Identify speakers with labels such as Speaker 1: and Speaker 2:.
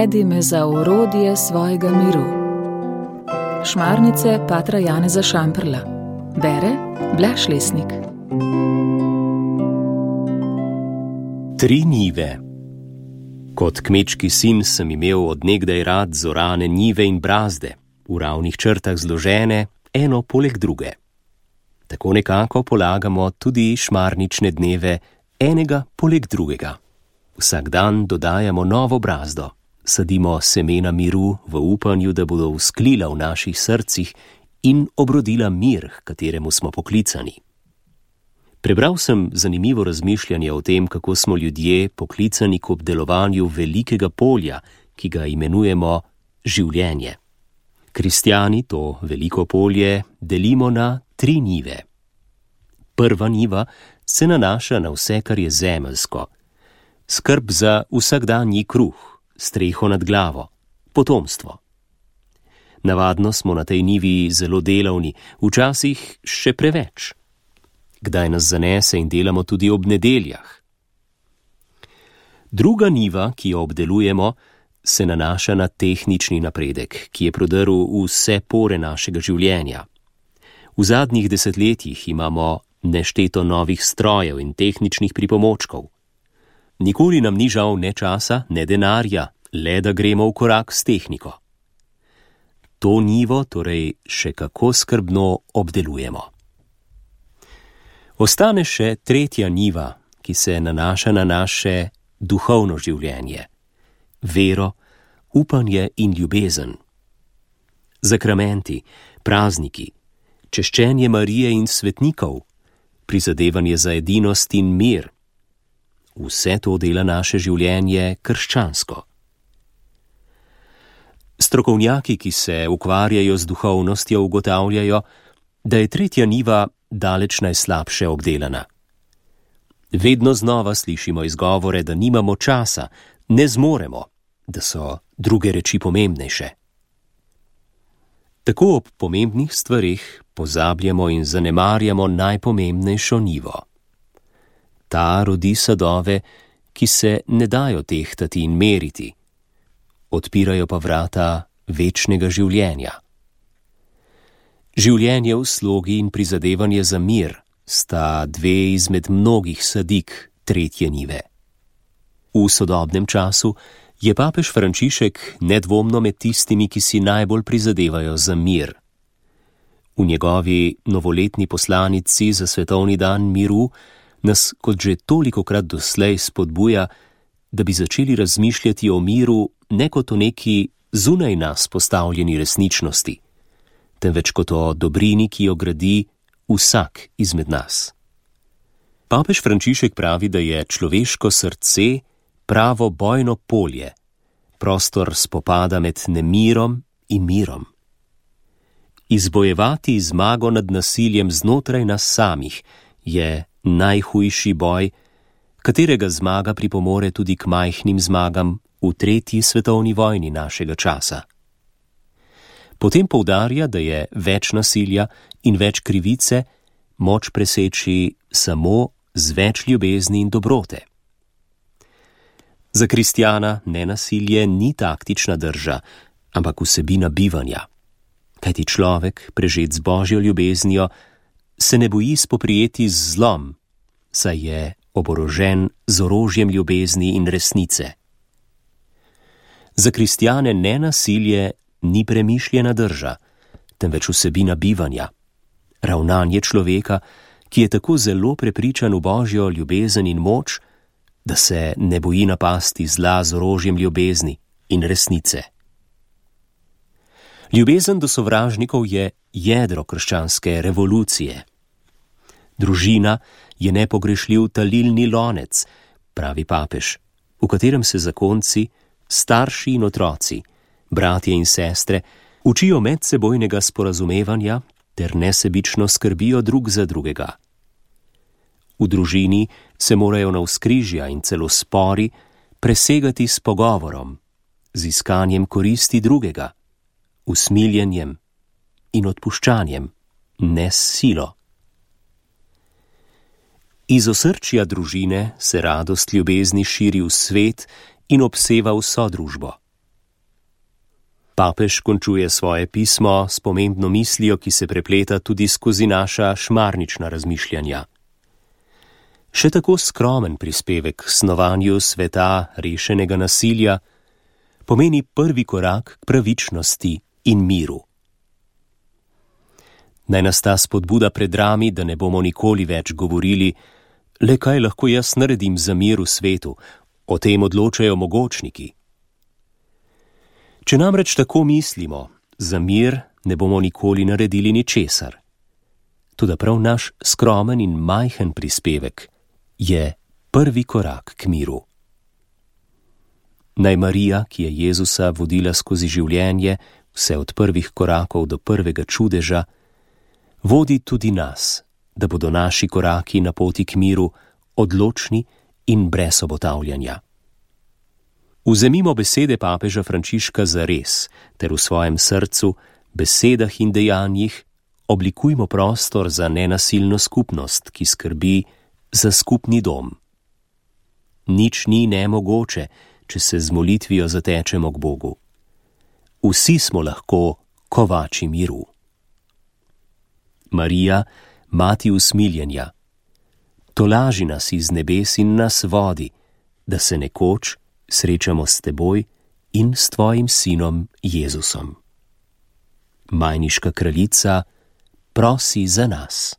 Speaker 1: Navedi me za orodje svojega miru. Šmarnice patra Janeza Šamprla. Bere Blaž Lesnik.
Speaker 2: 3 njive. Kot kmečki sin sem imel od nekdaj rad zorane njive in brazde, v ravnih črtah zložene, eno poleg druge. Tako nekako polagamo tudi šmarnične dneve, enega poleg drugega. Vsak dan dodajamo novo brazdo, sadimo semena miru v upanju, da bodo vzklila v naših srcih in obrodila mir, h kateremu smo poklicani. Prebral sem zanimivo razmišljanje o tem, kako smo ljudje poklicani k obdelovanju velikega polja, ki ga imenujemo življenje. Kristjani to veliko polje delimo na 3 njive. Prva njiva se nanaša na vse, kar je zemeljsko. Skrb za vsakdanji kruh, streho nad glavo, potomstvo. Navadno smo na tej njivi zelo delavni, včasih še preveč. Kdaj nas zanese in delamo tudi ob nedeljah. Druga njiva, ki jo obdelujemo, se nanaša na tehnični napredek, ki je prodrl v vse pore našega življenja. V zadnjih desetletjih imamo nešteto novih strojev in tehničnih pripomočkov. Nikoli nam ni žal ne časa, ne denarja, le da gremo v korak s tehniko. To njivo torej še kako skrbno obdelujemo. Ostane še 3. njiva, ki se nanaša na naše duhovno življenje. Vero, upanje in ljubezen. Zakramenti, prazniki, češčenje Marije in svetnikov, prizadevanje za edinost in mir. Vse to dela naše življenje krščansko. Strokovnjaki, ki se ukvarjajo z duhovnostjo, ugotavljajo, da je 3. njiva daleč najslabše obdelana. Vedno znova slišimo izgovore, da nimamo časa, ne zmoremo, da so druge reči pomembnejše. Tako ob pomembnih stvareh pozabljamo in zanemarjamo najpomembnejšo njivo. Ta rodi sadove, ki se ne dajo tehtati in meriti, odpirajo pa vrata večnega življenja. Življenje v slogi in prizadevanje za mir sta 2 izmed mnogih sadik 3. njive. V sodobnem času je papež Frančišek nedvomno med tistimi, ki si najbolj prizadevajo za mir. V njegovi novoletni poslanici za svetovni dan miru nas, kot že tolikokrat doslej, spodbuja, da bi začeli razmišljati o miru ne kot o neki zunaj nas postavljeni resničnosti, temveč kot o dobrini, ki jo gradi vsak izmed nas. Papež Frančišek pravi, da je človeško srce pravo bojno polje, prostor spopada med nemirom in mirom. Izbojevati zmago nad nasiljem znotraj nas samih je najhujši boj, katerega zmaga pripomore tudi k majhnim zmagam v 3. svetovni vojni našega časa. Potem poudarja, da je več nasilja in več krivice moč preseči samo z več ljubezni in dobrote. Za kristjana nenasilje ni taktična drža, ampak vsebina bivanja. Kajti človek, prežet z Božjo ljubeznijo, se ne boji spoprijeti z zlom, saj je oborožen z orožjem ljubezni in resnice. Za kristjane nenasilje ni premišljena drža, temveč vsebina bivanja, ravnanje človeka, ki je tako zelo prepričan v Božjo ljubezen in moč, da se ne boji napasti zla z orožjem ljubezni in resnice. Ljubezen do sovražnikov je jedro krščanske revolucije. Družina je nepogrešljiv talilni lonec, pravi papež, v katerem se zakonci, starši in otroci, bratje in sestre učijo medsebojnega sporazumevanja ter nesebično skrbijo drug za drugega. V družini se morajo navzkrižja in celo spori presegati s pogovorom, z iskanjem koristi drugega, usmiljenjem in odpuščanjem, ne s silo. Iz osrčja družine se radost ljubezni širi v svet in obseva vso družbo. Papež končuje svoje pismo s pomembno mislijo, ki se prepleta tudi skozi naša šmarnična razmišljanja. Še tako skromen prispevek k snovanju sveta rešenega nasilja pomeni prvi korak k pravičnosti in miru. Naj nas ta spodbuda predrami, da ne bomo nikoli več govorili, le kaj lahko jaz naredim za mir v svetu, o tem odločajo mogočniki. Če namreč tako mislimo, za mir ne bomo nikoli naredili ničesar. Toda prav naš skromen in majhen prispevek je prvi korak k miru. Naj Marija, ki je Jezusa vodila skozi življenje, vse od prvih korakov do prvega čudeža, vodi tudi nas, da bodo naši koraki na poti k miru odločni in brez obotavljanja. Vzemimo besede papeža Frančiška za res, ter v svojem srcu, besedah in dejanjih oblikujmo prostor za nenasilno skupnost, ki skrbi za skupni dom. Nič ni nemogoče, če se z molitvijo zatečemo k Bogu. Vsi smo lahko kovači miru. Marija, mati usmiljenja, tolaži nas iz nebes in nas vodi, da se nekoč srečamo s teboj in s tvojim sinom Jezusom. Majniška kraljica, prosi za nas.